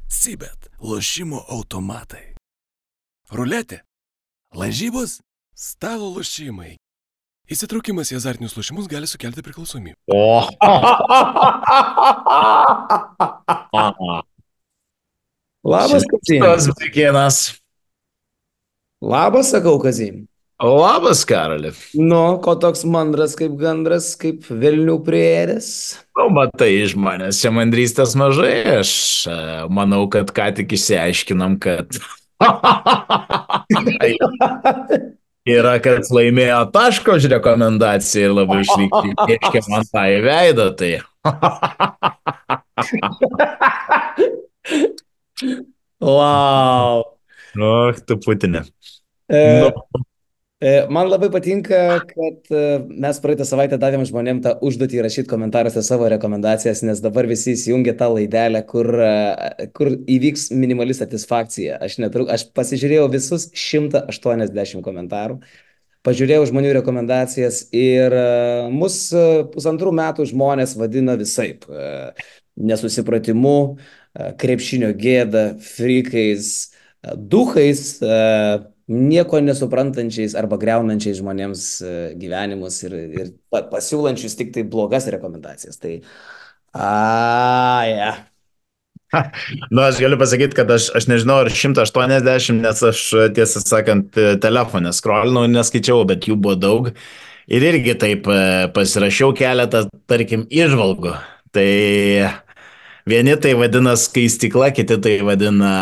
Sibet lošimo automatai. Ruletė. Lažybos. Stalo lošimai. Įsitraukimas į azartinius lošimus gali sukelti priklausomybę. O. Labas, Kazim. Šitas vaikinas. Labas, sakau, Kazim. Labas, Karoli. Nu, ko toks mandras kaip gandras, kaip velnių prieėdės? Matai, iš manęs čia mandrystės mažai. Aš manau, kad ką tik išsiaiškinam, kad yra, kad laimėjo taško už rekomendaciją ir labai šlykščiai pieškė man tą į veidą. Tai Wow. tu Putinė. Man labai patinka, kad mes praeitą savaitę davėm žmonėm tą užduotį rašyti komentaruose savo rekomendacijas, nes dabar visi įsijungia tą laidelę, kur įvyks minimali satisfakcija. Aš pasižiūrėjau visus 180 komentarų, pažiūrėjau žmonių rekomendacijas ir mus 1,5 metų žmonės vadina visaip. Nesusipratimu, krepšinio gėda, frykais, duchais, nieko nesuprantančiais arba greunančiais žmonėms gyvenimus ir pasiūlančius tik tai blogas rekomendacijas. Tai, Aš galiu pasakyti, kad aš nežinau, ar 180, nes aš tiesą sakant telefonę scrollinau, neskaičiau, bet jų buvo daug. Ir irgi taip pasirašiau keletą, tarkim, įžvalgų. Tai vieni tai vadina skaistykla, kiti tai vadina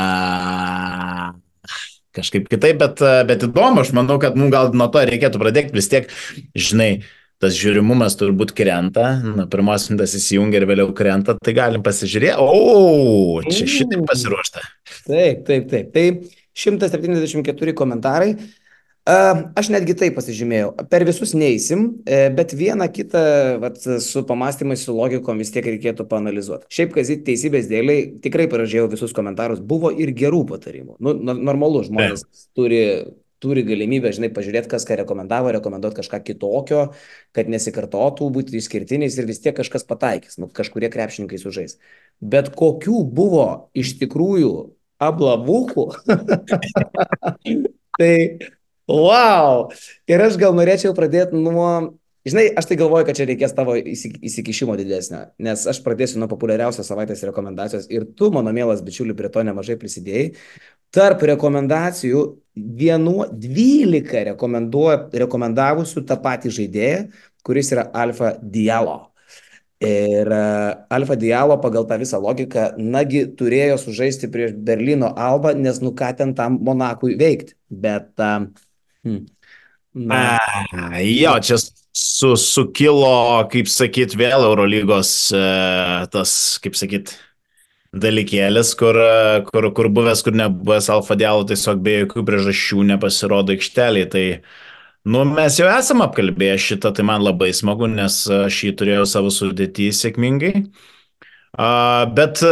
kažkaip kitaip, bet įdomu, aš manau, kad gal nuo to reikėtų pradėti, vis tiek, žinai, tas žiūrimumas turbūt krenta, pirmos mintas įsijungia ir vėliau krenta, tai galim pasižiūrėti, čia šitaip pasiruošta. Taip. Tai 174 komentarai. Aš netgi taip pasižymėjau. Per visus neįsim, bet vieną kitą su pamastymais, su logikom vis tiek reikėtų paanalizuoti. Šiaip, Kazit, teisybės dėliai, tikrai paražiau visus komentarus, buvo ir gerų patarimų. Normalu, žmonės turi galimybę, žinai, pažiūrėti, kas ką rekomenduoti kažką kitokio, kad nesikartotų, būti išskirtiniais ir vis tiek kažkas pataikys, kažkurie krepšininkai sužais. Bet kokių buvo iš tikrųjų ablavukų, tai wow! Ir aš gal norėčiau pradėti nuo, žinai, aš tai galvoju, kad čia reikės tavo įsikišimo didesnio, nes aš pradėsiu nuo populiariausios savaitės rekomendacijos ir tu, mano mielas bičiuli, prie to nemažai prisidėjai. Tarp rekomendacijų 12 rekomendavusių tą patį žaidėją, kuris yra Alfa Diallo. Ir Alfa Diallo pagal tą visą logiką, nagi turėjo sužaisti prieš Berlyno Albą, nes ką ten tam Monakui veikti. Bet jo, čia sukilo, kaip sakyt, vėl Eurolygos tas, kaip sakyt, dalykėlis, kur buvęs, kur nebuvęs Alfa Diallo tiesiog be jokių priežasčių nepasirodo aikštelėje. Tai, mes jau esam apkalbėję šitą, tai man labai smagu, nes aš jį turėjau savo sudėtį sėkmingai. Bet,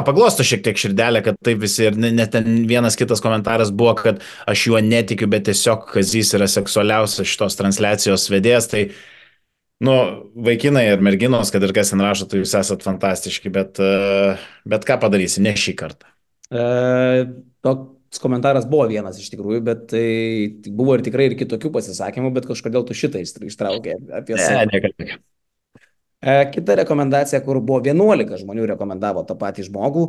paglosto šiek tiek širdelę, kad taip visi ir net ten vienas kitas komentaras buvo, kad aš juo netikiu, bet tiesiog Kazys yra seksualiausias šitos transliacijos vedėjas, tai, vaikinai ir merginos, kad ir kas ten rašo, tai jūs esat fantastiški, bet ką padarysi, ne šį kartą. Toks komentaras buvo vienas iš tikrųjų, bet tai buvo ir tikrai ir kitokių pasisakymų, bet kažkodėl tu šitą ištraukė apie save. Kita rekomendacija, kur buvo 11 žmonių rekomendavo tą patį žmogų,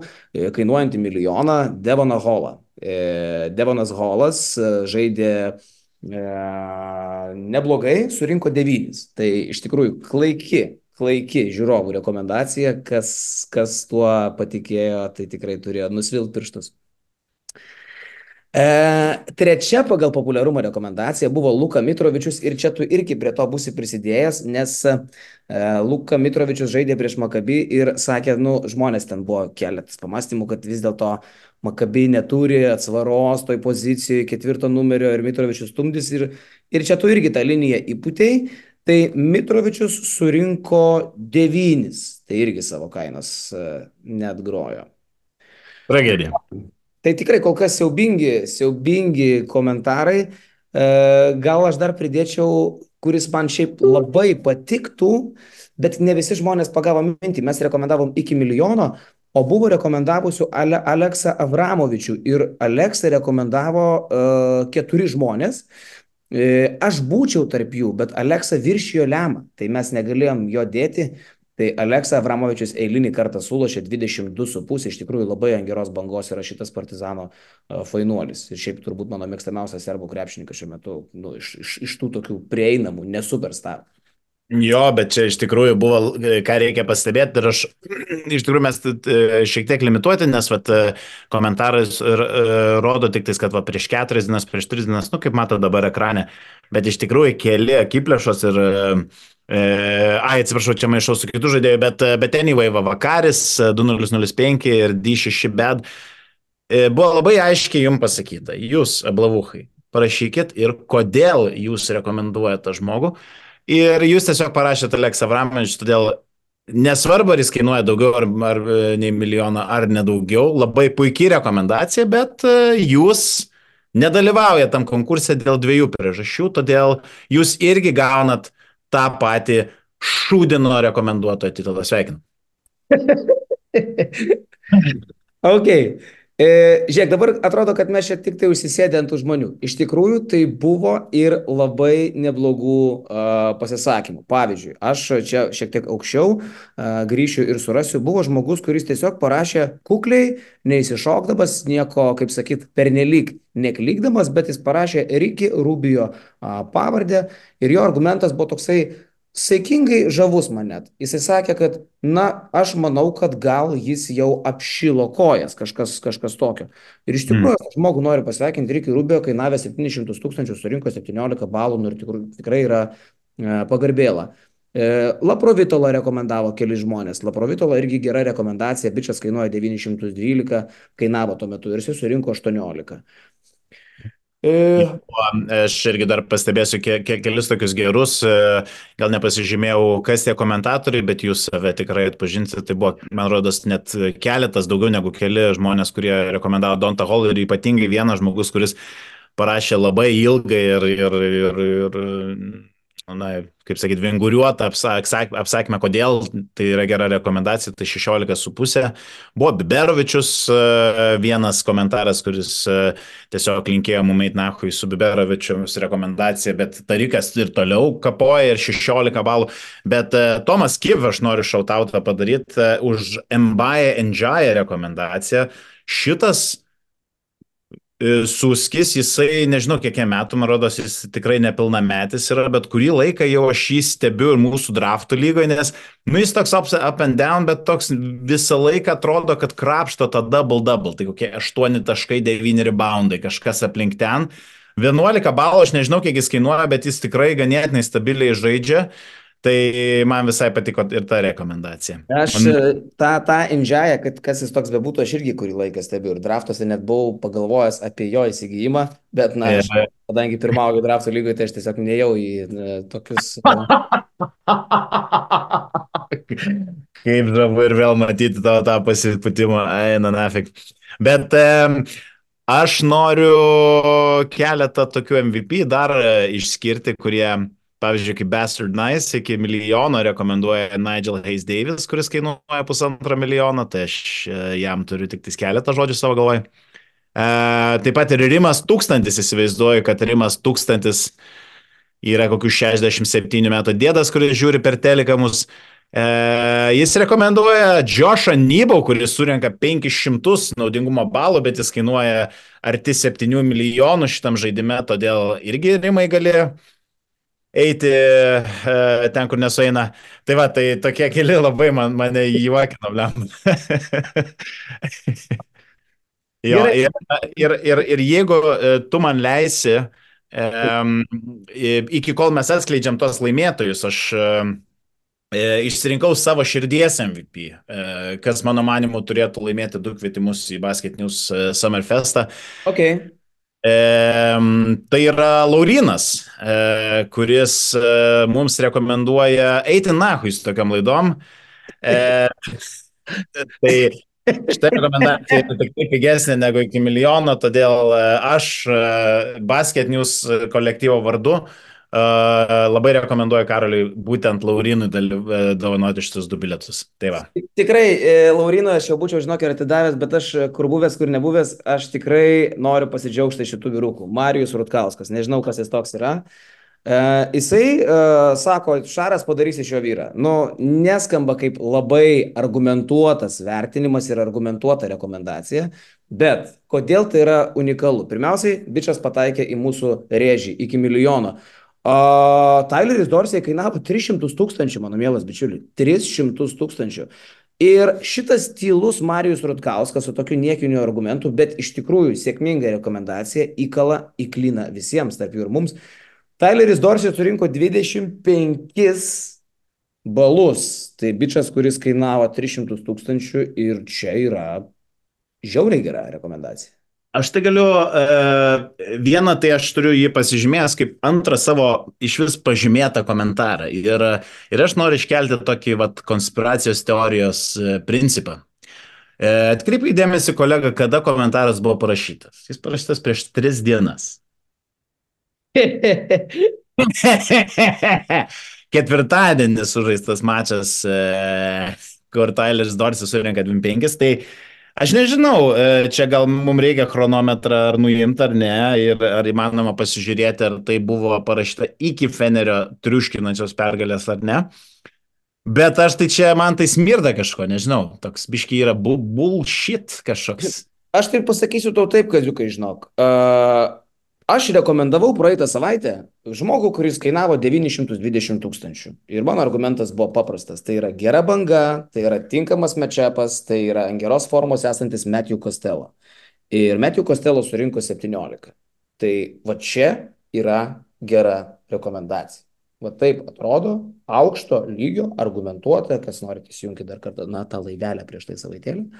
kainuojantį $1 milijoną, Devoną Hallą. Devonas Hallas žaidė neblogai, surinko 9. Tai iš tikrųjų klaiki žiūrovų rekomendacija, kas tuo patikėjo, tai tikrai turėjo nusvilt pirštus. Trečia pagal populiarumą rekomendacija buvo Luka Mitrovičius ir čia tu irgi prie to būsi prisidėjęs, nes Luka Mitrovičius žaidė prieš Maccabi ir sakė, žmonės ten buvo keletas pamastymų, kad vis dėlto Maccabi neturi atsvaros toj pozicijoje 4 numerio ir Mitrovičius stumdys ir čia tu irgi tą liniją įputėjai, tai Mitrovičius surinko 9, tai irgi savo kainos net grojo. Tragedija. Tai tikrai kol kas siaubingi komentarai. Gal aš dar pridėčiau, kuris man šiaip labai patiktų, bet ne visi žmonės pagavo mintį. Mes rekomendavom iki $1 milijono, o buvo rekomendavusių Aleksą Avramovičių ir Aleksą rekomendavo 4 žmonės. Aš būčiau tarp jų, bet Aleksa viršijo lemą, tai mes negalėjom jo dėti. Tai Aleksa Avramovičius eilinį kartą sulošė 22,5, iš tikrųjų labai ant geros bangos yra šitas Partizano fainuolis. Ir šiaip turbūt mano mėgstamiausias serbų krepšininkas šiuo metu, nu, iš tų tokių prieinamų, nesuperstar. Jo, bet čia iš tikrųjų buvo, ką reikia pastebėti, ir aš, iš tikrųjų mes šiek tiek limituoti, nes vat, komentaras rodo tik tais, kad va, prieš 4 dienas, prieš 3 dienas, nu kaip mato dabar ekrane, bet iš tikrųjų keli akiplėšos ir, atsiprašau, čia maišau su kitų žaidėjų, bet anyway, va, Vakaris 2005 ir D6 bed, buvo labai aiškiai jums pasakyta, jūs, ablavuchai, parašykit ir kodėl jūs rekomenduojate tą žmogų. Ir jūs tiesiog parašėte Aleksą Avramovičių, todėl nesvarbu, ar jis kainuoja daugiau ar nei milijoną, ar nedaugiau, labai puikiai rekomendacija, bet jūs nedalyvaujate tam konkurse dėl 2 priežasčių, todėl jūs irgi gaunat tą patį šūdino rekomenduotojo titulą. Sveikinu. Ok. Žiūrėk, dabar atrodo, kad mes čia tik tai užsisėdė ant tų žmonių. Iš tikrųjų, tai buvo ir labai neblogų pasisakymų. Pavyzdžiui, aš čia šiek tiek aukščiau grįšiu ir surasiu. Buvo žmogus, kuris tiesiog parašė kukliai, neįsišokdamas, nieko, kaip sakyt, pernelyg neklykdamas, bet jis parašė Ricky Rubio pavardę ir jo argumentas buvo toksai saikingai žavus man net. Jisai sakė, kad, na, aš manau, kad gal jis jau apšilo kojas, kažkas tokio. Ir iš tikrųjų, žmogų noriu pasveikinti, Ricky Rubio kainavė 700 000, surinko 17 balų, nu, ir tikrai yra pagarbėla. Laprovitola rekomendavo keli žmonės. Laprovitola irgi gera rekomendacija, bičias kainuoja 912, kainavo tuo metu ir jis surinko 18. Aš irgi dar pastebėsiu kelis tokius gerus, gal nepasižymėjau, kas tie komentatoriai, bet jūs save tikrai atpažinsite. Tai buvo, man rodos, net keletas, daugiau negu keli žmonės, kurie rekomendavo Dontą Hall ir ypatingai vienas žmogus, kuris parašė labai ilgai ir na, kaip sakyti, vinguriuotą apsakymą, kodėl tai yra gera rekomendacija, tai 16,5. Buvo Biberovičius vienas komentaras, kuris tiesiog linkėjo mum eit nahui su Biberovičius rekomendacija, bet Tarikas ir toliau kapoja ir 16 balų. Bet Tomas Kiv, aš noriu šautautą padaryti už Mbaye Njaya rekomendaciją. Šitas Suskis, jisai, nežinau, kiek metų, man rodos, jis tikrai nepilnametis yra, bet kurį laiką jau aš jį stebiu ir mūsų draftų lygoje, nes, nu, jis toks up and down, bet toks visą laiką atrodo, kad krapšto tą double, tai kokie 8,9 reboundai, kažkas aplink ten. 11 balų, aš nežinau, kiek jis kainuoja, bet jis tikrai ganėtinai stabiliai žaidžia. Tai man visai patiko ir ta rekomendacija. Aš tą Indžiają, kad kas jis toks bebūtų, aš irgi kurį laiką stebiu ir draftuose net buvau pagalvojęs apie jo įsigijimą, bet, na, aš, kadangi pirmauju draftų lygoje, tai aš tiesiog nejau į tokius... Kaip žavu ir vėl matyti tą pasiputimą, eina nafik. Bet aš noriu keletą tokių MVP dar išskirti, kurie... Pavyzdžiui, kaip Bastard Nice iki milijono rekomenduoja Nigel Hayes Davis, kuris kainuoja 1,5 milijono, tai aš jam turiu tik keletą žodžių savo galvoje. Taip pat ir Rimas 1000, įsivaizduoju, kad Rimas 1000 yra kokių 67 metų dėdas, kuris žiūri per teleką mus. Jis rekomenduoja Joshą Nybau, kuris surenka 500 naudingumo balų, bet jis kainuoja arti 7 milijonų šitam žaidime, todėl irgi Rimai galėjo eiti ten, kur nesueina. Tai va, tai tokie keli labai mane juokino, blem. Jo, ir jeigu tu man leisi, iki kol mes atskleidžiam tos laimėtojus, aš išsirinkau savo širdies MVP, kas mano manimu turėtų laimėti 2 kvietimus į Basket News Summerfestą. Okay. Tai yra Laurynas, kuris mums rekomenduoja eiti nahui su tokiam laidom. Tai šitą rekomendaciją yra tik pigesnė negu iki milijono, todėl aš Basket News kolektyvo vardu Labai rekomenduoju Karoliui būtent Laurinui dovanoti šitus 2 bilietus. Tai va. Tikrai, Laurino, aš jau būčiau, žinok, ir atidavęs, bet aš kur buvęs, kur nebuvęs, aš tikrai noriu pasidžiaugti šitų vyrukų. Marijus Rutkauskas, nežinau, kas jis toks yra. Jisai sako, Šaras padarys iš jo vyrą. Nu, neskamba kaip labai argumentuotas vertinimas ir argumentuota rekomendacija, bet kodėl tai yra unikalu? Pirmiausiai, bičias pataikė į mūsų rėžį iki milijono. Tyleris Dorsey kainavo 300 tūkstančių, mano mielas bičiuli. 300 tūkstančių. Ir šitas tylus Marijus Rutkauskas su tokiu niekiniu argumentu, bet iš tikrųjų sėkminga rekomendacija įklina visiems, tarp jų ir mums. Tyleris Dorsey surinko 25 balus. Tai bičias, kuris kainavo 300 tūkstančių ir čia yra žiauriai gera rekomendacija. Aš tai galiu, vieną tai aš turiu jį pasižymėjęs kaip antrą savo iš vis pažymėtą komentarą. Ir aš noriu iškelti tokį konspiracijos teorijos principą. Atkreipkite dėmesį, kolega, kada komentaras buvo parašytas. Jis parašytas prieš 3 dienas. Ketvirtadienis sužaistas mačas, kur Tyleris Dorsey surinka 25, tai aš nežinau, čia gal mums reikia chronometrą ar nuimti ar ne, ir ar įmanoma pasižiūrėti, ar tai buvo parašyta iki Fenerio triuškinančios pergalės ar ne. Bet aš tai čia, man tai smirda kažko, nežinau, toks biški yra bullshit kažkoks. Aš tai pasakysiu tau taip, kaziukai, žinok. Aš rekomendavau praeitą savaitę žmogų, kuris kainavo 920 tūkstančių. Ir mano argumentas buvo paprastas. Tai yra gera banga, tai yra tinkamas matchupas, tai yra ant geros formos esantis Matthew Costello. Ir Matthew Costello surinko 17. Tai va čia yra gera rekomendacija. Va taip atrodo, aukšto lygio, argumentuota, kas norite įsijungti dar kartą, tą laivelę prieš tai savaitėlį.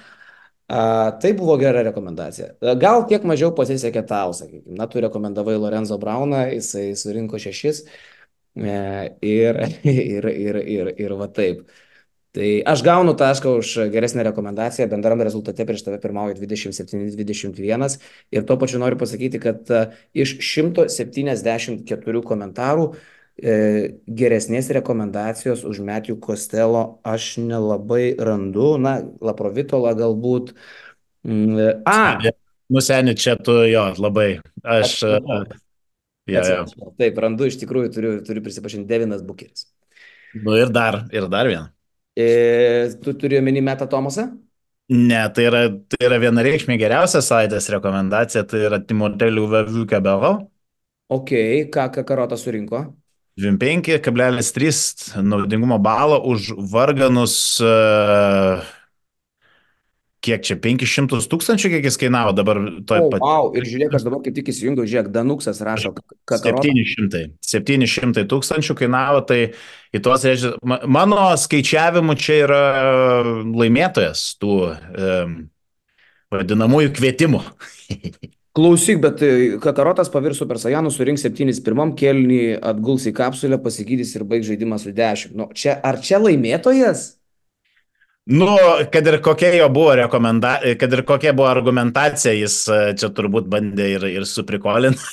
Tai buvo gera rekomendacija. Gal kiek mažiau pasisekė tau, sakykime. Na, tu rekomendavai Lorenzo Brauną, jisai surinko 6 ir va taip. Tai aš gaunu tašką už geresnę rekomendaciją, bendrame rezultate prieš tave pirmauja 27-21 ir tuo pačiu noriu pasakyti, kad iš 174 komentarų geresnės rekomendacijos už Matthew Costello aš nelabai randu. Na, Laprovitola galbūt. Nuseni čia tu jo labai. Aš. Taip, randu iš tikrųjų, turiu prisipažinti, Devinas Bukeris. Nu ir dar vieną. Tu turi omeny Metą Tomasą? Ne, tai yra vienareikšmė geriausia savaitės rekomendacija, tai yra Timothée Louverture-Cabero. Ok, ką Karotas surinko? 25,3 naudingumo balo už varganus, kiek čia, 500 tūkstančių, kiek jis kainavo dabar. Wow, ir žiūrėk, aš dabar kaip tik įsijungiau, žiūrėk, Danuksas rašo, Kakarota. 700 tūkstančių kainavo, tai į tuos reiškia, mano skaičiavimu čia yra laimėtojas tų vadinamųjų kvietimų. Klausyk, bet Kakarotas pavirs Super Saiyanų, surinks 7 pirmam kėlinį, atguls į kapsulę, pasigydys ir baigs žaidimą su 10. Nu, ar čia laimėtojas? Nu, kad ir kokia jo buvo kad ir kokia buvo argumentacija, jis čia turbūt bandė ir suprikolinti.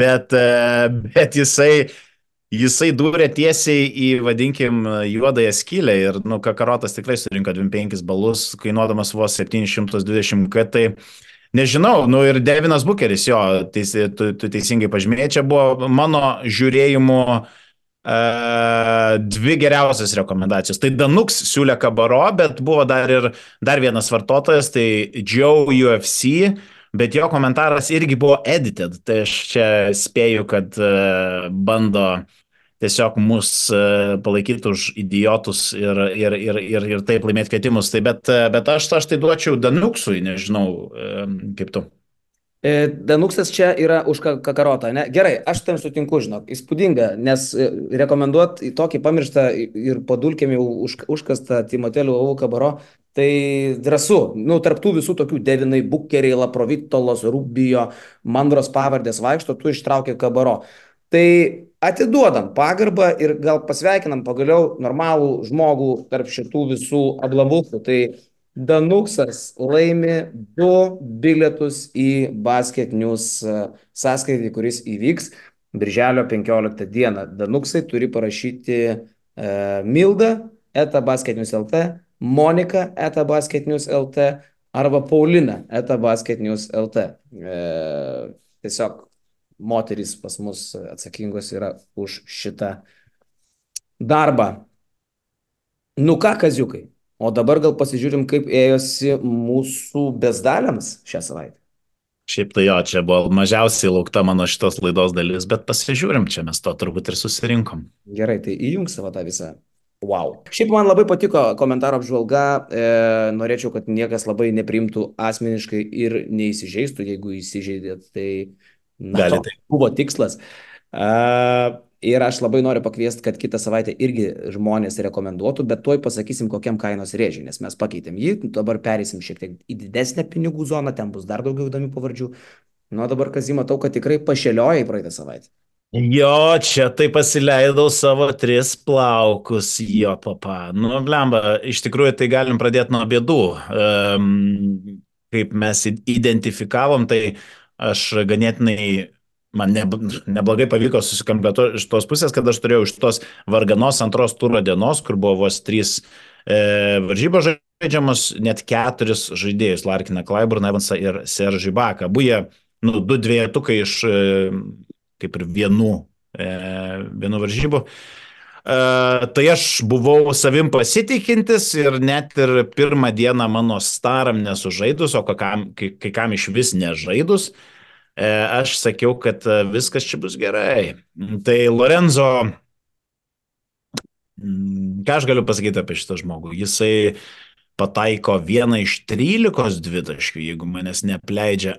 bet jisai dūrė tiesiai į, vadinkim, juodąją skylę ir, Kakarotas tikrai surinko 25 balus, kainuodamas vos 720 k, tai nežinau, ir Devinas Bukeris, jo, tu teisingai pažymėjai, čia buvo mano žiūrėjimu 2 geriausias rekomendacijos. Tai Danuks siūlė Kabaro, bet buvo dar vienas vartotojas, tai Joe UFC, bet jo komentaras irgi buvo edited, tai aš čia spėju, kad bando tiesiog mus palaikyti už idiotus ir taip laimėti kvietimus. Tai, bet aš tai duočiau Danuksui, nežinau, kaip tu. Danuksas čia yra už Kakarotą, ne? Gerai, aš tam sutinku, žinok, įspūdinga, nes rekomenduoti tokį pamirštą ir padulkėm jau užkastą Timothée Louverture-Cabero, tai drąsu. Tarptų visų tokių Devinai Bukeriai, Laprovitolos, Rubio, Mandros pavardės vaikšto, tu ištraukė Cabero. Tai atiduodam pagarbą ir gal pasveikinam pagaliau normalų žmogų tarp šitų visų ablavukų. Tai Danuksas laimi 2 bilietus į Basket News sąskaitį, kuris įvyks. Birželio 15 dieną. Danuksai turi parašyti Milda @basketnews.lt, Monika @basketnews.lt arba Paulina @basketnews.lt. Tiesiog moterys pas mus atsakingos yra už šitą darbą. Nu ką, kaziukai, o dabar gal pasižiūrim, kaip ėjosi mūsų bezdaliams šią savaitę. Šiaip tai jo, čia buvo mažiausiai laukta mano šitos laidos dalis, bet pasižiūrim, čia mes to turbūt ir susirinkom. Gerai, tai įjung savo tą visą. Wow. Šiaip man labai patiko komentaro apžvalga, norėčiau, kad niekas labai nepriimtų asmeniškai ir neįsižeistų, jeigu įsižeidėt, tai na, Gali toks buvo tikslas. Ir aš labai noriu pakviesti, kad kitą savaitę irgi žmonės rekomenduotų, bet tuoj pasakysim, kokiam kainos rėžiui, nes mes pakeitėm jį, dabar perėsim šiek tiek į didesnę pinigų zoną, ten bus dar daugiau įdomių pavardžių. Nu, dabar, Kazį, matau, kad tikrai pašėliojai praeitą savaitę. Jo, čia tai pasileidau savo 3 plaukus, jo papa. Nu, blemba, iš tikrųjų tai galim pradėti nuo bėdų. Kaip mes identifikavom, tai aš ganėtinai, man neblogai pavyko susikompletuoti iš tos pusės, kad aš turėjau iš tos varganos antros turo dienos, kur buvo vos 3 varžybos žaidžiamos, net 4 žaidėjus, Larkiną Klaiburną, Evansą ir Seržį Baką. Abu jie, 2 dvejetukai iš kaip ir vienų varžybų. Tai aš buvau savim pasitikintis ir net ir pirmą dieną mano staram nesužaidus, o kai kam iš vis nežaidus, aš sakiau, kad viskas čia bus gerai. Tai Lorenzo, ką aš galiu pasakyti apie šitą žmogų? Jisai pataiko 1 iš 13 dvitaškių, jeigu manęs neapleidžia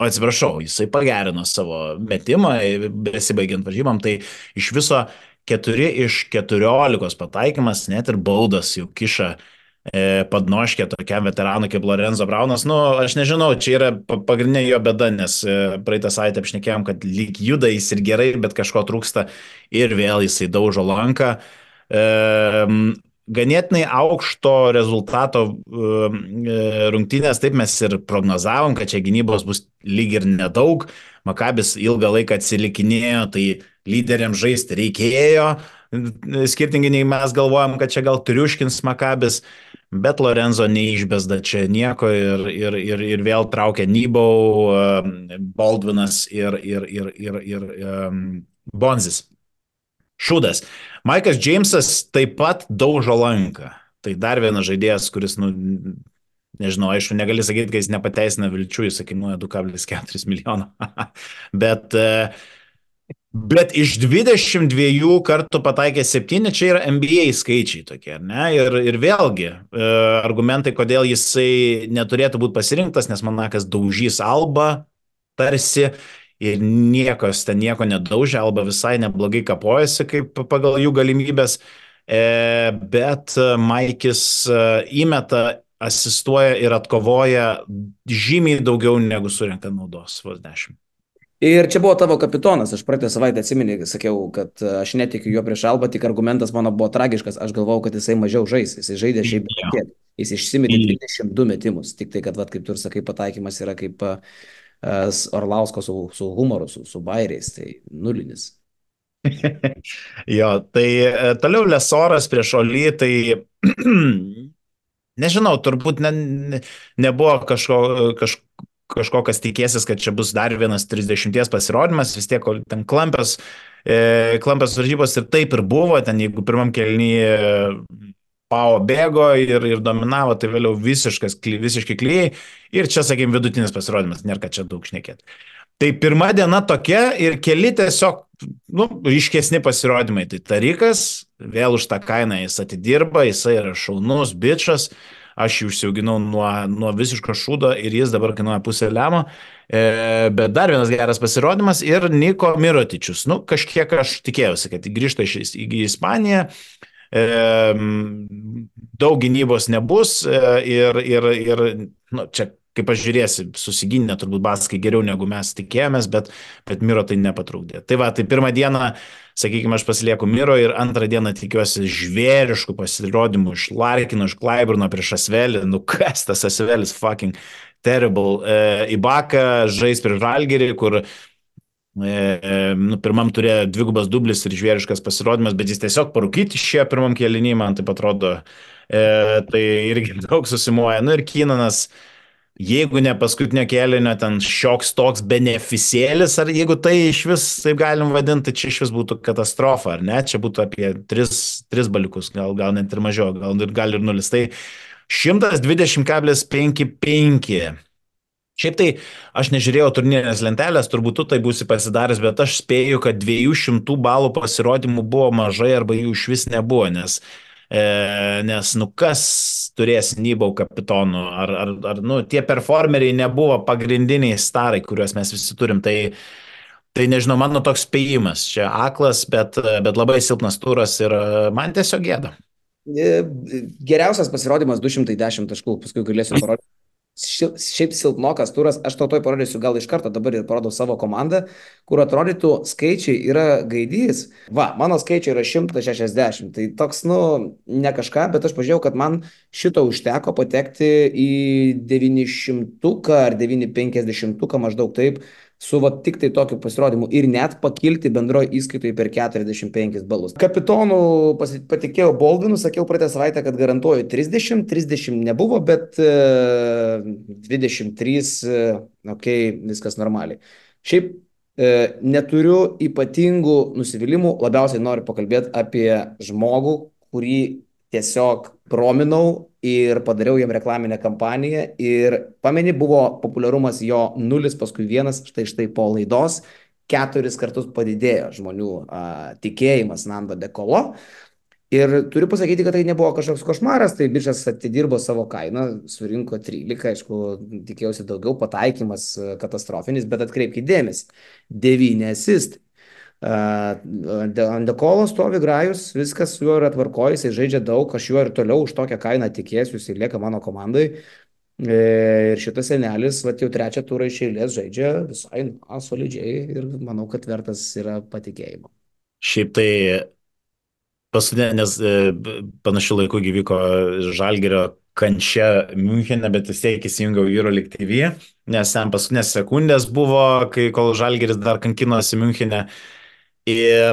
atsiprašau, jisai pagerino savo metimą, besibaigiant varžybam, tai iš viso 4 iš 14 pataikymas, net ir baudas jau kiša padnoškė tokiam veteranui kaip Lorenzo Braunas. Nu, aš nežinau, čia yra pagrindinė jo bėda, nes praeitą savaitę apšnekėjom, kad lyg juda jis ir gerai, bet kažko trūksta ir vėl jisai daužo lanką. Ganėtinai aukšto rezultato rungtynės, taip mes ir prognozavom, kad čia gynybos bus lyg ir nedaug, Makabis ilgą laiką atsilikinėjo, tai lyderiams žaisti reikėjo, skirtingai nei mes galvojam, kad čia gal triuškins Makabis, bet Lorenzo neišbesda čia nieko ir vėl traukia Nybau, Baldvinas ir Bonzis. Šūdas. Maikas Džeimsas taip pat daužo lanką. Tai dar vienas žaidėjas, kuris, nežinau, aišku, negali sakyti, kad jis nepateisina vilčių, jis kainuoja 2,4 milijono. bet iš 22 kartų pataikė 7, čia yra NBA skaičiai tokie, ne? Ir vėlgi, argumentai, kodėl jisai neturėtų būti pasirinktas, nes Monakas daužys Albą tarsi, ir niekas ten nieko nedaužė, Alba visai neblogai kapojasi kaip pagal jų galimybės, bet Maikis įmeta, asistuoja ir atkovoja žymiai daugiau negu surinkta naudos, vos 10. Ir čia buvo tavo kapitonas, aš praeitą savaitę atsimeni, sakiau, kad aš netikiu jo prieš Albą, tik argumentas mano buvo tragiškas, aš galvojau, kad jisai mažiau žais, jisai žaidė šiaip tiek, jis išsimetė 22 metimus, tik tai, kad, kaip tu ir sakai, pataikymas yra kaip Orlausko su humoru, su bairiais, tai nulinis. Jo, tai toliau Lesoras prieš Olį, tai nežinau, turbūt nebuvo kažko, kas tikėsis, kad čia bus dar vienas 30 pasirodymas, vis tiek ten klampės varžybos ir taip ir buvo, ten jeigu pirmam kėlinyje Pau bėgo ir dominavo, tai vėliau visiškai klijai. Ir čia, sakykime, vidutinis pasirodymas, nėra ką čia daug šnekėti. Tai pirma diena tokia ir keli tiesiog, ryškesni pasirodymai. Tai Tarikas, vėl už tą kainą jis atidirba, jisai yra šaunus, bičas. Aš jį užsiauginau nuo visiško šūdo ir jis dabar kainuoja pusę lemo. Bet dar vienas geras pasirodymas ir Niko Mirotičius. Kažkiek aš tikėjausi, kad grįžta į Ispaniją. Daug gynybos nebus ir čia, kaip aš žiūrėsi, susigynė turbūt baskai geriau negu mes tikėjomės, bet Miro tai nepatrukdė. Tai va, tai pirmą dieną, sakykime, aš pasilieku Miro ir antrą dieną tikiuosi žvėriškų pasirodymų iš Larkino, iš Klaiburno prieš Asvelį. Kas tas Asvelis, fucking terrible. Ibaka žais prieš Žalgirį, kur Nu, pirmam turėjo dvigubas dublis ir žvėriškas pasirodymas, bet jis tiesiog parūkyti išėjo pirmam kėlinį, man taip atrodo. Tai irgi daug susimuoja. Nu ir Kynanas, jeigu ne paskutinio kėlinio ten šioks toks beneficėlis, ar jeigu tai iš vis taip galim vadinti, tai čia iš vis būtų katastrofa, ar ne? Čia būtų apie 3 baliukus, gal net ir mažiau, gal ir 0. Tai 120,55. Šiaip tai aš nežiūrėjau turnyrinės lentelės, turbūt tu tai būsi pasidaręs, bet aš spėju, kad 200 balų pasirodymų buvo mažai arba jų iš vis nebuvo, nes nu kas turės Nybau kapitonų, nu, tie performeriai nebuvo pagrindiniai starai, kuriuos mes visi turim, tai nežinau, mano toks spėjimas, čia aklas, bet labai silpnas turas ir man tiesiog gėda. Geriausias pasirodymas 210 taškų, paskui galėsiu parodyti. Šiaip silpnokas turas, aš tau parodysiu gal iš karto, dabar ir parodau savo komandą, kur atrodytų skaičiai yra gaidys. Va, mano skaičiai yra 160, tai toks, nu, ne kažką, bet aš pažiūrėjau, kad man šito užteko patekti į 900 ar 950 maždaug taip, su va tik tai tokiu pasirodymu ir net pakilti bendroje įskaitoje per 45 balus. Kapitonų patikėjau Baldwinu, sakiau praeitą savaitę, kad garantuoju 30 nebuvo, bet 23, ok, viskas normaliai. Šiaip neturiu ypatingų nusivylimų, labiausiai noriu pakalbėti apie žmogų, kurį tiesiog prominau ir padariau jam reklaminę kampaniją ir pameni, buvo populiarumas jo 0, paskui 1, štai po laidos 4 kartus padidėjo žmonių tikėjimas Nando De Colo. Ir turiu pasakyti, kad tai nebuvo kažkoks košmaras, tai bičas atidirbo savo kainą, surinko 13, aišku, tikėjausi daugiau, pataikymas katastrofinis, bet atkreipkite dėmesį, 9 asistai. Ant De Colo stovi Grajus, viskas su juo yra tvarkoj, jisai žaidžia daug, aš juo ir toliau už tokią kainą tikėsiu, jisai lieka mano komandai. Ir šitas senelis, va, jau 3 turą iš eilės žaidžia visai solidžiai ir manau, kad vertas yra patikėjimo. Šiaip tai paskutinė, nes panašiu laiku gyvyko Žalgirio kančia Münchene, bet vis tiek įsijungiau EuroLeague TV, nes ten paskutinės sekundės buvo, kol Žalgiris dar kankinosi Münchene. Ir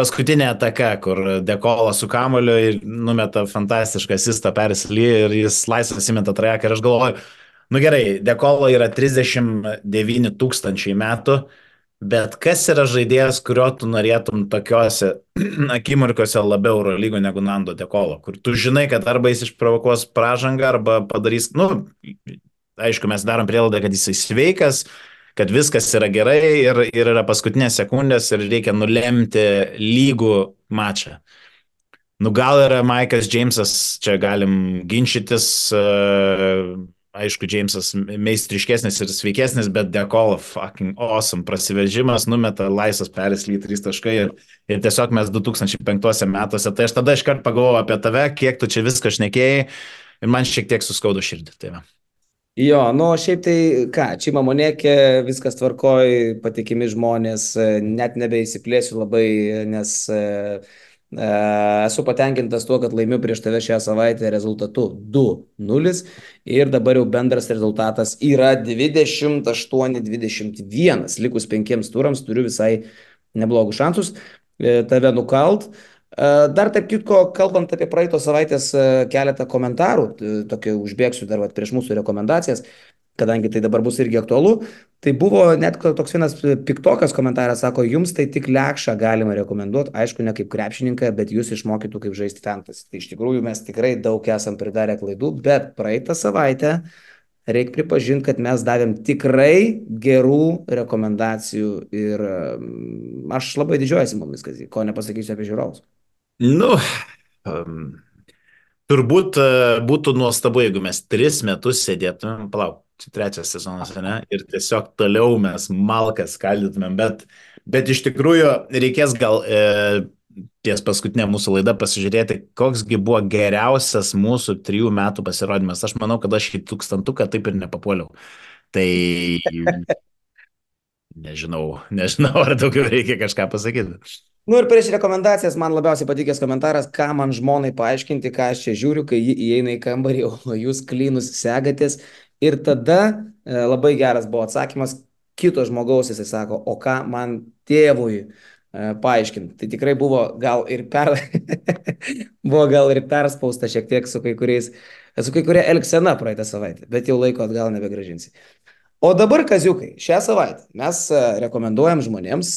paskutinė ataka, kur De Colo su kamuoliu ir numeta fantastišką asistą Persilį ir jis laisvas įmeta trajeką ir aš galvoju, nu gerai, De Colo yra 39 tūkstančiai metų, bet kas yra žaidėjas, kurio tu norėtum tokiuose akimirkose labiau Eurolygo negu Nando De Colo, kur tu žinai, kad arba jis išprovokuos pražangą, arba padarys, nu, aišku, mes darom prielaidą, kad jisai sveikas, kad viskas yra gerai ir yra paskutinės sekundės ir reikia nulemti lygų mačą. Nu gal yra Maikas Džeimsas, čia galim ginčytis, aišku, Džeimsas meistriškesnis ir sveikesnis, bet De Colo fucking awesome prasiveržimas, numeta laisvas Persilį 3 taškai ir tiesiog mes 2005 metuose, tai aš tada iškart pagalvojau apie tave, kiek tu čia viską šnekėjai ir man šiek tiek suskaudo širdį. Tai jo, nu šiaip tai ką, Čima Monekė, viskas tvarkoj, patikimi žmonės, net nebeįsiplėsiu labai, nes esu patenkintas tuo, kad laimiu prieš tave šią savaitę rezultatu 2-0 ir dabar jau bendras rezultatas yra 28-21, likus 5 turams turiu visai neblogus šansus tave nukalt. Dar tarp kitko, kalbant apie praeitos savaitės keletą komentarų, tokį užbėgsiu dar prieš mūsų rekomendacijas, kadangi tai dabar bus irgi aktualu, tai buvo net toks vienas piktokas komentaras, sako, jums tai tik lekšą galima rekomenduoti, aišku, ne kaip krepšininką, bet jūs išmokytų kaip žaisti fantasy. Tai iš tikrųjų mes tikrai daug esam pridarę klaidų, bet praeitą savaitę reikia pripažinti, kad mes davėm tikrai gerų rekomendacijų ir aš labai didžiuojasi mumis, ko nepasakysiu apie žiūrovus. Nu, turbūt būtų nuostabu, jeigu mes 3 metus sėdėtumėm, palauk, čia 3 sezonas, ne, ir tiesiog toliau mes malkas skaldytumėm, bet iš tikrųjų reikės gal ties paskutinė mūsų laida pasižiūrėti, koksgi buvo geriausias mūsų 3 metų pasirodymas. Aš manau, kad aš į 1000-uką taip ir nepapuoliau. Tai nežinau, ar daugiau reikia kažką pasakyti. Nu ir prieš rekomendacijas man labiausiai patikęs komentaras, ką man žmonai paaiškinti, ką aš čia žiūriu, kai ji įeina į kambarį, o jūs klynus segatės. Ir tada labai geras buvo atsakymas, kito žmogaus, jisai sako, o ką man tėvui paaiškinti. Tai tikrai buvo gal ir buvo gal ir perspausta šiek tiek su kai kuria elgsena praeitą savaitę, bet jau laiko atgal nebegražinsi. O dabar, kaziukai, šią savaitę mes rekomenduojam žmonėms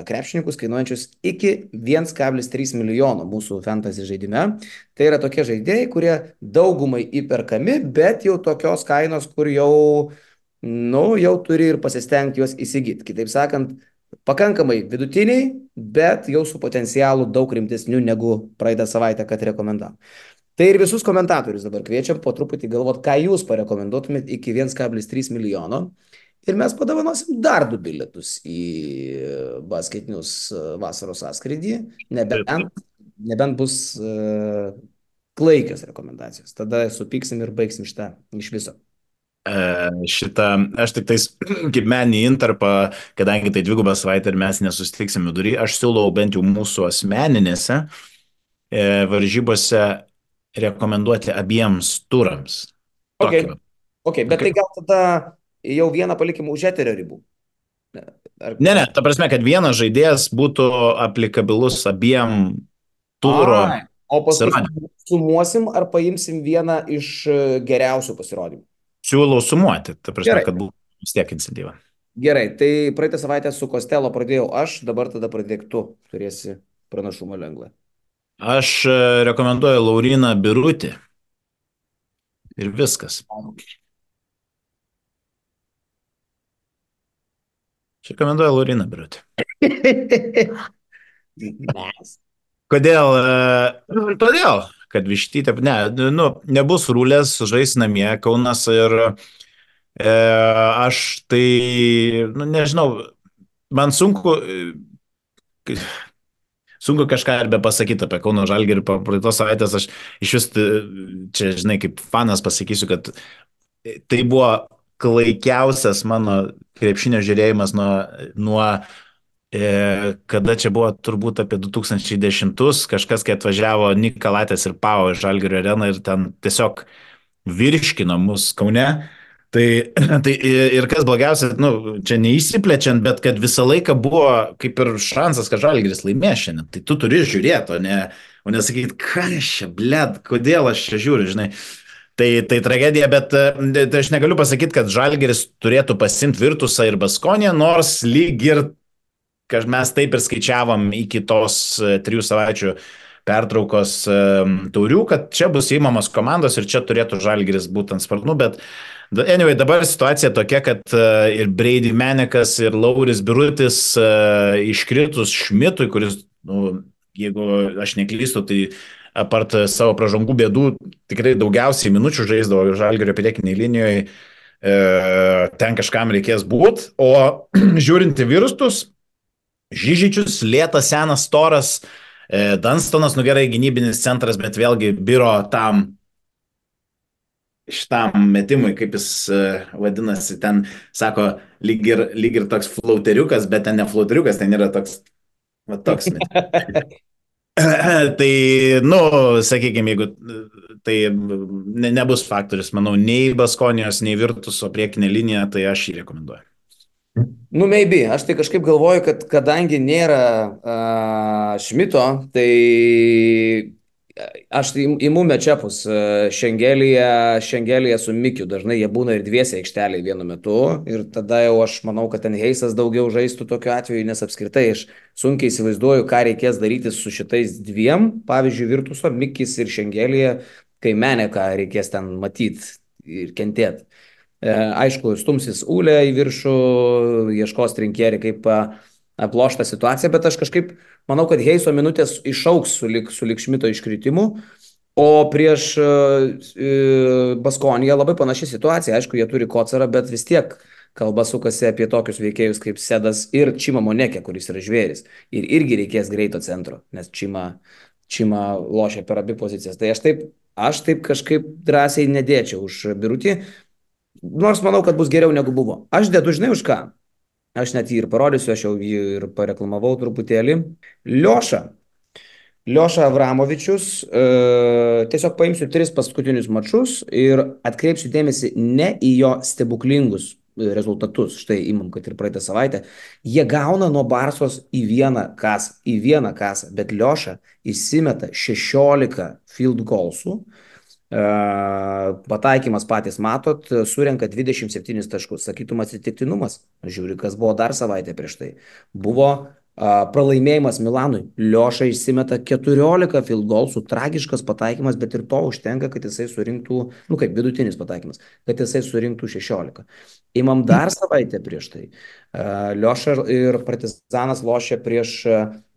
krepšininkus kainuojančius iki 1,3 milijono mūsų fantasy žaidime. Tai yra tokie žaidėjai, kurie daugumai įperkami, bet jau tokios kainos, kur jau, nu, jau turi ir pasistengti juos įsigyti. Kitaip sakant, pakankamai vidutiniai, bet jau su potencialu daug rimtesniu negu praeitą savaitę, kad rekomendavom. Tai ir visus komentatorius dabar kviečiam po truputį galvot, ką jūs parekomenduotumėt iki 1,3 milijono. Ir mes padovanosim dar 2 bilietus į basketinius vasaros sąskrydį, nebent bus klaikios rekomendacijos. Tada supyksim ir baigsim šitą iš viso. Aš tik tais kaip meninį intarpą, kadangi tai 2 savaitę ir mes nesusitiksim vidury, aš siūlau bent jau mūsų asmeninėse varžybose rekomenduoti abiems turams. Okay, bet tai gal tada jau vieną palikim už eterio ribų. Ne, ta prasme, kad vienas žaidėjas būtų aplikabilus abiem turo. O paskui sumuosim ar paimsim vieną iš geriausių pasirodymų? Siūlau sumuoti, ta prasme, kad būtų vis tiek iniciatyva. Gerai, tai praeitą savaitę su Kostelo pradėjau aš, dabar tada pradėk tu, turėsi pranašumą lengvą. Aš rekomenduoju Lauryną Birutį. Ir viskas. Aš rekomenduoju Lauryną Birutį. Kodėl? Todėl, kad Vištytė, nebus Rūlės, žais namie Kaunas ir aš tai, nežinau, man sunku kažką ir be pasakyti apie Kauno Žalgirį. Praeitos savaitės aš iš vis, čia, žinai, kaip fanas pasakysiu, kad tai buvo klaikiausias mano krepšinio žiūrėjimas nuo kada čia buvo turbūt apie 2010, kažkas, kai atvažiavo Nikalatės ir Pau iš Žalgirio areną ir ten tiesiog virškino mus Kaune. Tai ir kas blogiausia, čia neįsiplečiant, bet kad visą laiką buvo kaip ir šansas, kad Žalgiris laimės šiandien. Tai tu turi žiūrėti, o ne sakyti, ką aš čia, bled, kodėl aš čia žiūriu, žinai. Tai tragedija, bet aš negaliu pasakyti, kad Žalgiris turėtų pasimti Virtusą ir Baskoniją, nors lyg ir mes taip ir skaičiavom iki tos 3 savaičių pertraukos taurių, kad čia bus įmamos komandos ir čia turėtų Žalgiris būti ant sparnų, bet anyway, dabar situacija tokia, kad ir Brady Menekas, ir Lauris Birutis iškritus Šmitui, kuris, jeigu aš neklystu, tai apart savo pražangų bėdų, tikrai daugiausiai minučių žaisdavo Žalgirio priekinėje linijoje, ten kažkam reikės būti, o žiūrint į virustus, Žižičius, lėtas, senas, storas, Dunstonas, gerai, gynybinis centras, bet vėlgi biro šitam metimui, kaip jis vadinasi, ten, sako, lyg ir toks flauteriukas, bet ten ne flauteriukas, ten yra toks metimas. Tai, sakykime, jeigu tai nebus faktorius, manau, nei Baskonijos, nei Virtuso priekinė linija, tai aš jį rekomenduoju. Maybe. Aš tai kažkaip galvoju, kad kadangi nėra Šmito, tai aš imu mečepus Šengelėje su Mikiu. Dažnai jie būna ir dviese aikštelėje vienu metu. Ir tada jau aš manau, kad ten Heisas daugiau žaistų tokiu atveju, nes apskritai aš sunkiai įsivaizduoju, ką reikės daryti su šitais dviem. Pavyzdžiui, Virtuso, Mikis ir Šengelėje, kai Meneką reikės ten matyti ir kentėti. Aišku, stumsis Ūlė į viršų, ieškos trinkierį, kaip aplošta situacija, bet aš kažkaip manau, kad Heiso minutės išauks sulig Šmito iškritimu, o prieš Baskoniją labai panaši situacija. Aišku, jie turi Kocarą, bet vis tiek kalba sukasi apie tokius veikėjus kaip Sedas ir Čima Monekė, kuris yra žvėris. Ir irgi reikės greito centro, nes Čima lošia per abi pozicijas. Tai aš taip kažkaip drąsiai nedėčiau už Birutį. Nors manau, kad bus geriau negu buvo. Aš dedu, žinai, už ką? Aš net jį ir parodysiu, aš jau jį ir pareklamavau truputėlį. Lioša Avramovičius, tiesiog paimsiu 3 paskutinius mačus ir atkreipsiu dėmesį ne į jo stebuklingus rezultatus. Štai imam, kad ir praeitą savaitę. Jie gauna nuo Barsos į vieną kasą, bet Lioša įsimeta 16 field goalsų. Pataikymas patys matot, surenka 27 taškus. Sakytum atsitiktinumas. Žiūri, kas buvo dar savaitę prieš tai. Buvo pralaimėjimas Milanui. Lioša išsimeta 14 field goalsų, tragiškas pataikymas, bet ir to užtenka, kad jisai surinktų, kaip vidutinis pataikymas, kad jisai surinktų 16. Imam dar savaitę prieš tai. Lioša ir Partizanas lošia prieš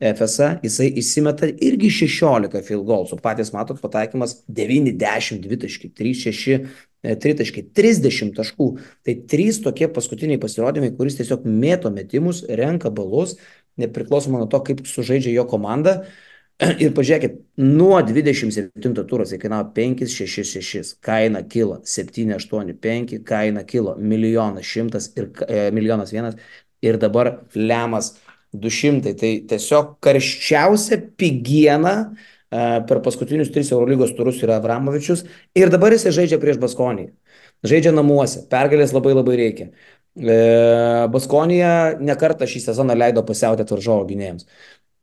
FSA, jisai įsimeta irgi 16 field goalsų. Patys matot, pataikymas 9-10, 2 3 6 3 30 taškų. Tai 3 tokie paskutiniai pasirodymai, kuris tiesiog mėto metimus, renka balus, nepriklausomai nuo to, kaip sužaidžia jo komanda. Ir pažiūrėkit, nuo 27 turos jie kainavo 5-6-6, kaina kilo 7-8-5, kaina kilo 1 100 000 ir 1 100 000 ir dabar lemas 200. Tai tiesiog karščiausia pigiena per paskutinius 3 Eurolygos turus yra Avramovičius ir dabar jisai žaidžia prieš Baskonį. Žaidžia namuose, pergalės labai labai reikia. Baskonija nekartą šį sezoną leido pasiautėti varžovo gynėjams.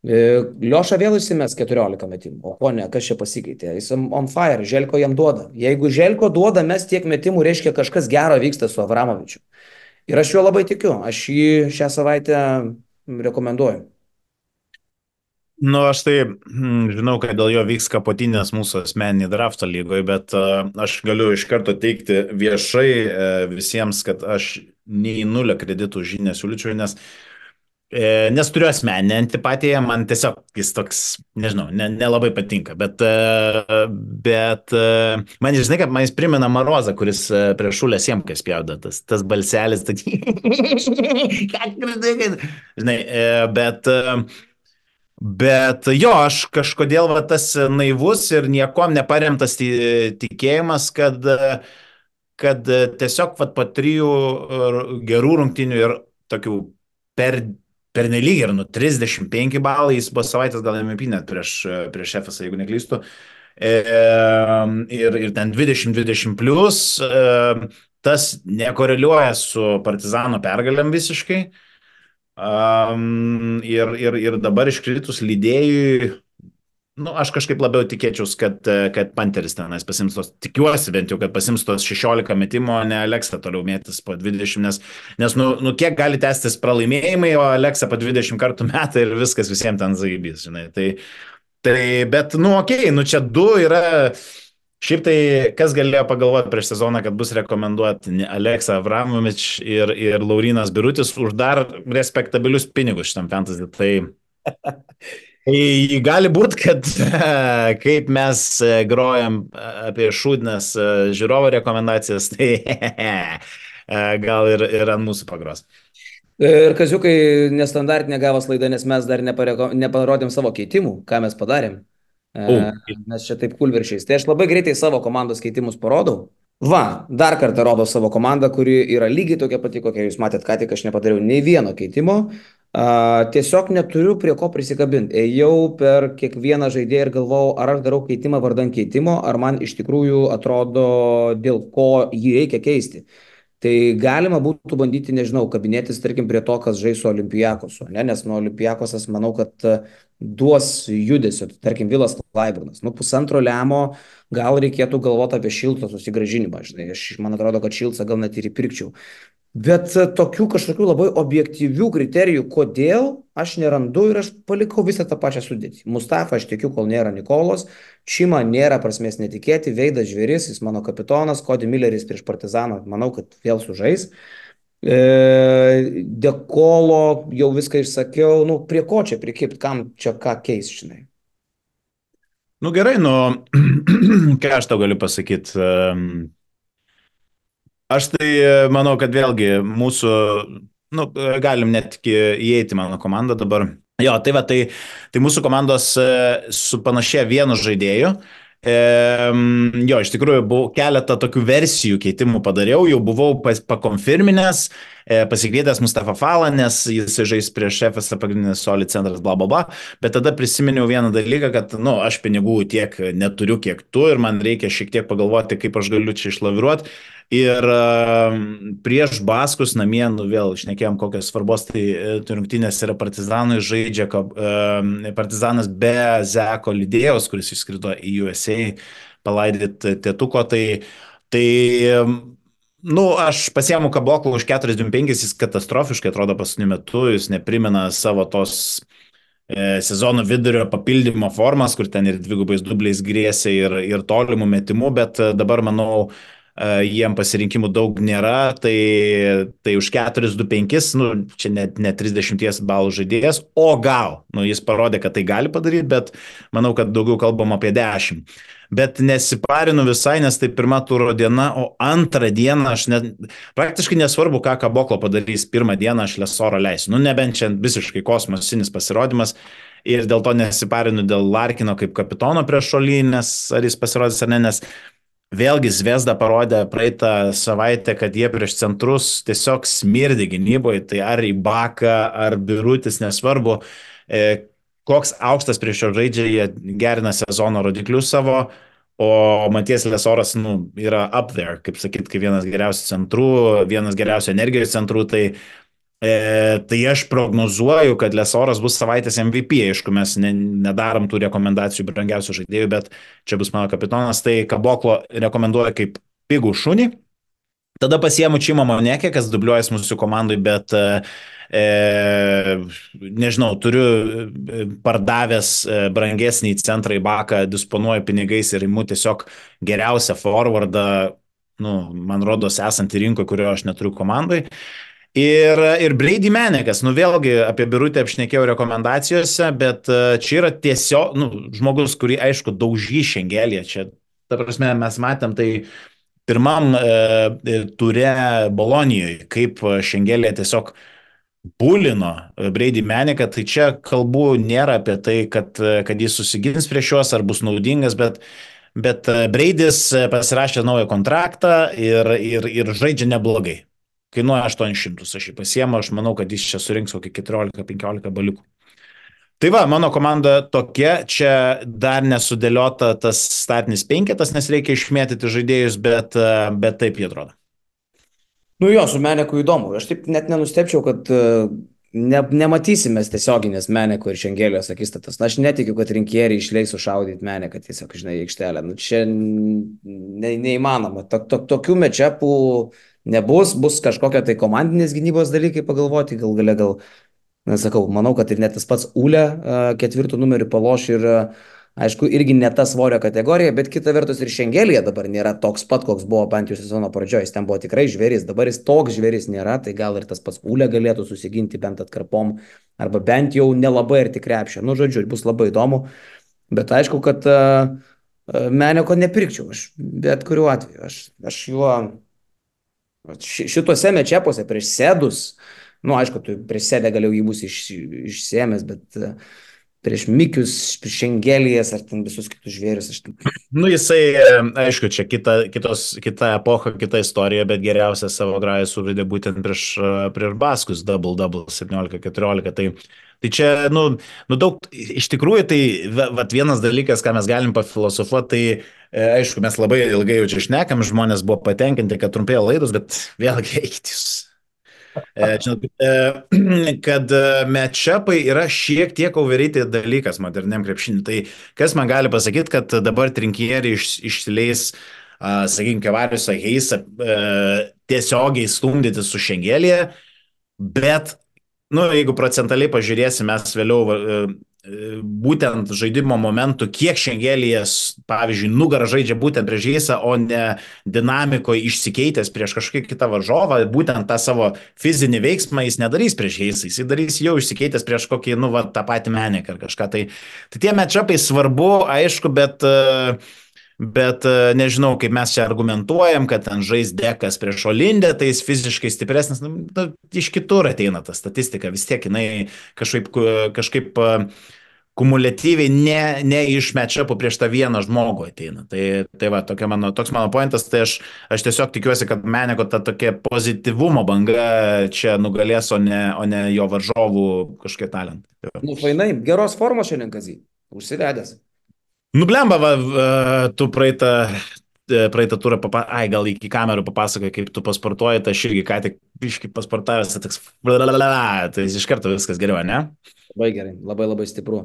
Lioša vėl įsimes 14 metimų. O ko ne, kas čia pasikeitė? Jis on fire, Želko jam duoda. Jeigu Želko duoda mes tiek metimų, reiškia kažkas gero vyksta su Avramovičiu. Ir aš juo labai tikiu. Aš jį šią savaitę rekomenduoju. Aš tai žinau, kad dėl jo vyks kapotinės mūsų asmeninį draftą lygoje, bet aš galiu iš karto teikti viešai visiems, kad aš nei 0 kreditų už jį nesiūlyčiau, nes turiu asmeninę antipatiją, man tiesiog jis toks, nežinau, nelabai patinka, bet man, žinai, kad man jis primena Marozą, kuris prie Šulės Siemkės spjaudo, tas balselis, žinai, bet jo, aš kažkodėl tas naivus ir niekom neparemtas tikėjimas, kad tiesiog po 3 gerų rungtynių ir tokių pernelyg ir 35 balai, jis buvo savaitės gal MVP net prieš FSA, jeigu neklystu, ir ten 20-20 plus, tas nekoreliuoja su Partizano pergalėm visiškai, ir dabar iškritus lydėjui, aš kažkaip labiau tikėčiaus, kad Panteris tenais pasims tos, tikiuosi bent jau, kad pasims tos 16 metimo, ne Aleksa toliau mėtis po 20, nes kiek gali tęstis pralaimėjimai, o Aleksa po 20 kartų metą ir viskas visiems ten zaibys, žinai. Bet, okei, čia 2 yra, šiaip tai, kas galėjo pagalvoti prieš sezoną, kad bus rekomenduoti Aleksa Avramovič ir Laurynas Birutis už dar respektabilius pinigus šitam fantasy, tai gali būti, kad kaip mes grojam apie šūdines žiūrovo rekomendacijas, tai gal ir ant mūsų pagros. Ir Kaziukai nestandartinė gavos laida, nes mes dar neparodėm savo keitimų, ką mes padarėm. Mes čia taip kulveršiais. Tai aš labai greitai savo komandos keitimus parodau. Dar kartą rodau savo komandą, kuri yra lygiai tokia pati, kokia jūs matėt, ką tik aš nepadariau nei vieno keitimo. Tiesiog neturiu prie ko prisikabinti. Ėjau per kiekvieną žaidėją ir galvojau, ar aš darau keitimą vardan keitimo, ar man iš tikrųjų atrodo, dėl ko jį reikia keisti. Tai galima būtų bandyti, nežinau, kabinėtis, tarkim, prie to, kas žais su Olympiakosu, nes nuo Olympiakosas manau, kad duos judesio, tarkim, Vilas Klaiburnas. Pusantro lemo gal reikėtų galvoti apie Šilco susigrąžinimą. Man atrodo, kad Šilcą gal net ir įpirkčiau. Bet tokių kažkokių labai objektyvių kriterijų, kodėl aš nerandu ir aš palikau visą tą pačią sudėtį. Mustafa aš tikiu, kol nėra Nikolos, Čima nėra prasmės netikėti, Veidas Žvėris, jis mano kapitonas, Cody Milleris prieš Partizaną, manau, kad vėl sužais. Dekolo jau viską išsakiau, prie ko čia prikipti, kam čia ką keis, žinai. Gerai, ką aš tau galiu pasakyti. Aš tai manau, kad vėlgi mūsų, galim net įeiti mano komandą dabar. Jo, tai mūsų komandos supanašėja vienu žaidėju. Jo, iš tikrųjų, keletą tokių versijų keitimų padariau, jau buvau pakonfirminęs, pasikvietęs Mustafa Falą, nes jis žais prieš FSA pagrindinis solid centras, bla, bla, bla, bet tada prisiminiau vieną dalyką, kad, aš pinigų tiek neturiu, kiek tu, ir man reikia šiek tiek pagalvoti, kaip aš galiu čia išlaviruoti. Ir prieš Baskus namie, nu vėl išnekėjom kokios svarbos, tai rungtynės yra Partizanui žaidžia Partizanas be Zeko Lidėjaus, kuris išskrido į USA palaidyti tėtuko, tai nu, aš pasiemu Kaboklą už 45, jis katastrofiškai atrodo paskutiniu metu, jis neprimena savo tos sezono vidurio papildymo formas, kur ten ir dvigubais dubliais grėsė ir tolimų metimų, bet dabar, manau, jiem pasirinkimų daug nėra, tai už 4-2-5, nu, čia ne 30 balų žaidėjas, o gal, nu, jis parodė, kad tai gali padaryti, bet manau, kad daugiau kalbam apie 10. Bet nesiparinu visai, nes tai pirma turo diena, o antrą dieną aš praktiškai nesvarbu, ką Kaboklo padarys pirmą dieną, aš Lesorą leisiu. Nu, nebent čia visiškai kosmosinis pasirodymas ir dėl to nesiparinu dėl Larkino kaip kapitono prieš Šolį, nes ar jis pasirodys ar ne, nes vėlgi Zvezda parodė praeitą savaitę, kad jie prieš centrus tiesiog smirdi gynyboje, tai ar Ibaka, ar Birutis, nesvarbu, koks aukštas prieš jo žaidžia, jie gerina sezono rodiklius savo, o Matijas Lesoras, nu, yra up there, kaip sakyt, kaip vienas geriausių centrų, vienas geriausių energijos centrų, tai aš prognozuoju, kad Lesoras bus savaitės MVP, aišku, mes nedarom tų rekomendacijų brangiausių žaidėjų, bet čia bus mano kapitonas, tai Kaboklo rekomenduoja kaip pigų šunį. Tada pasiemu Čimo Monekė, kas dubliuojas mūsų komandai, bet nežinau, turiu pardavęs brangesnį centrą į Baką, disponuoju pinigais ir imu tiesiog geriausią forwardą, nu, man rodos, esantį rinkoje, kurio aš neturiu komandai. Ir Brady Menekas, nu vėlgi apie Birutę apšnekėjau rekomendacijose, bet čia yra tiesiog, nu, žmogus, kurį, aišku, daužy Šengelėje. Čia, ta prasme, mes matėm tai pirmam ture Bolonijoje, kaip Šengelė tiesiog bulino Brady Meneką, tai čia kalbų nėra apie tai, kad jis susigins prieš juos ar bus naudingas, bet Bradys pasirašė naują kontraktą ir žaidžia neblogai. Kainuoja 800, aš jį pasiemu, aš manau, kad jis čia surinks kokį 14-15 baliukų. Tai va, mano komanda tokia, čia dar nesudėliota tas startinis penketas, nes reikia išmėtyti žaidėjus, bet taip jie atrodo. Nu jo, su Meneku įdomu. Aš taip net nenustepčiau, kad nematysime tiesioginės Meneko ir Šengelės akistatos. Na, aš netikiu, kad rinkėjai išleis sušaudyti Meneką tiesiog, žinai, aikštelę. Nu, čia neįmanoma. Tokių mečepų nebus, bus kažkokia tai komandinės gynybos dalykai pagalvoti, gal, nesakau, manau, kad ir net tas pats Ūlė ketvirtų numerių paloš ir aišku, irgi ne ta svorio kategorija, bet kita vertus ir Šengelėje dabar nėra toks pat, koks buvo bent jau sezono pradžioje, jis ten buvo tikrai žvėris, dabar jis toks žvėris nėra, tai gal ir tas pats Ūlė galėtų susiginti bent atkarpom, arba bent jau nelabai arti krepšio, nu žodžiu, bus labai įdomu, bet aišku, kad Meneko nepirkčiau, aš bet kuriuo atveju, aš juo šituose mečepuose prieš Sėdus, nu aišku, tu prieš Sėdę galėjau jį bus išsėmęs, bet prieš Mikius, prieš Šengelijas ar ten visus kitus žvėrius. Nu jisai, aišku, čia kita epocha, kita istorija, bet geriausia savo grają sužaidė būtent prieš Baskus, double 17-14, tai čia, nu daug, iš tikrųjų, tai vienas dalykas, ką mes galim pafilosofuoti, tai aišku, mes labai ilgai jau čia šnekam, žmonės buvo patenkinti, kad trumpėjo laidos, bet vėlgi eikit jūs. Kad matchupai yra šiek tiek overrated dalykas moderniam krepšiniui. Tai kas man gali pasakyti, kad dabar trinkieriai išsileis, sakykime, Kevariusą Heisą tiesiogiai stumdyti su Šengelėje, bet, nu, jeigu procentaliai pažiūrėsim, mes vėliau būtent žaidimo momentų, kiek Šengelėje, pavyzdžiui, nugarą žaidžia būtent prieš Heisą, o ne dinamikoje išsikeitęs prieš kažkokį kitą varžovą, būtent tą savo fizinį veiksmą jis nedarys prieš Heisą, jis darys jau išsikeitęs prieš kokį, nu, va, tą patį Meneką ar kažką. Tai tie matchupai svarbu, aišku, bet nežinau, kaip mes čia argumentuojam, kad ten žais Dekas prieš Olindę, tai jis fiziškai stipresnis, iš kitur ateina ta statistika, vis tiek jinai kažkaip kumuliatyviai ne iš matchupų prieš tą vieną žmogų ateina. Tai va, toks mano pointas, tai aš tiesiog tikiuosi, kad Meneko ta tokia pozityvumo banga čia nugalės, o ne jo varžovų kažkokie talentai. Nu, fainai, geros formos šiandien, Kazį, užsivedęs. Nublemba, tu praeitą praeitą turą, gal iki kamerų papasakoji, kaip tu pasportuoji, tai aš irgi ką tik biškai pasportavęs, tai iš karto viskas geriau, ne? Labai gerai, labai labai stipru.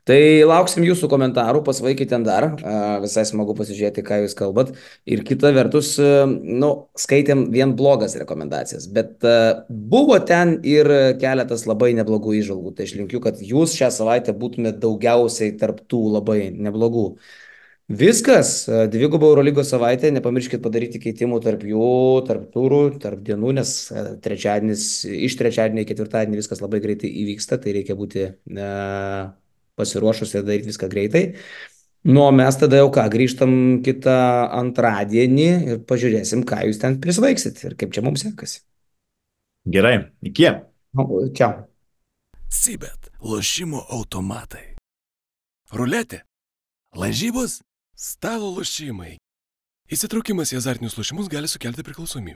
Tai lauksim jūsų komentarų, pasvaikit ten dar, visai smagu pasižiūrėti, ką jūs kalbat. Ir kita vertus, skaitėm vien blogas rekomendacijas, bet buvo ten ir keletas labai neblogų įžvalgų. Tai aš linkiu, kad jūs šią savaitę būtumėte daugiausiai tarptų labai neblogų. Viskas, dvigubo Eurolygos savaitė, nepamirškit padaryti keitimų tarp jų, tarp turų, tarp dienų, nes iš trečiadienio į ketvirtadienį viskas labai greitai įvyksta, tai reikia būti pasiruošus ir daryti viską greitai. Nu, o mes tada jau grįžtam kitą antradienį ir pažiūrėsim, ką jūs ten prisvaiksit ir kaip čia mums sekasi. Gerai, iki. Čiau. Sibet, lošimo automatai. Ruletė, lažybos, stalo lošimai. Įsitraukimas į azartinius lošimus gali sukelti priklausomybę.